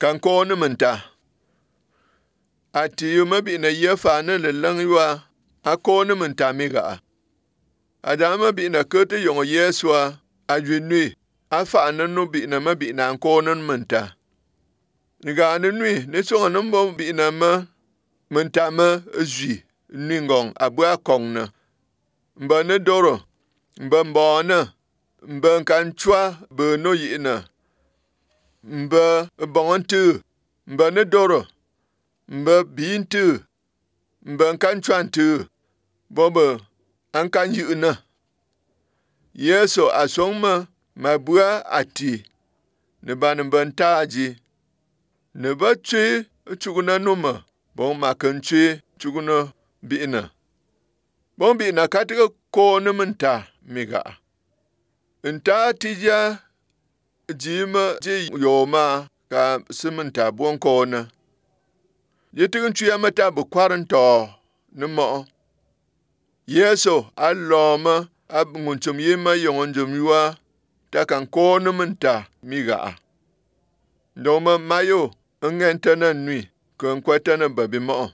kan ko ne menta ati yu mabi na yefa ne le lang ywa a ko ne menta mi ga adama bi na kete yong yeswa a jwinui a fa ne no bi na mabi na ko ne menta ni ga ne nui ne so no bo bi na ma menta ma zwi ni ngong abua kong na mba ne doro mba mbona mba kan chwa be no yi na mba bontu mba ne doro mba bintu mba kan chwantu bobo an kan yi na yeso asongma mabua ati ne ban bantaji ne ba twi chuguna numa bon makan twi chuguna bina bon bina katika ko ne menta miga nta tija jima ji yoma ka simenta bon ko na yitin twi amata bu kwaranto ne mo yeso alloma abngunchum yima yongonjum yuwa ta kan ko ne menta miga ndoma mayo ngentana nui kon kwatana babi mo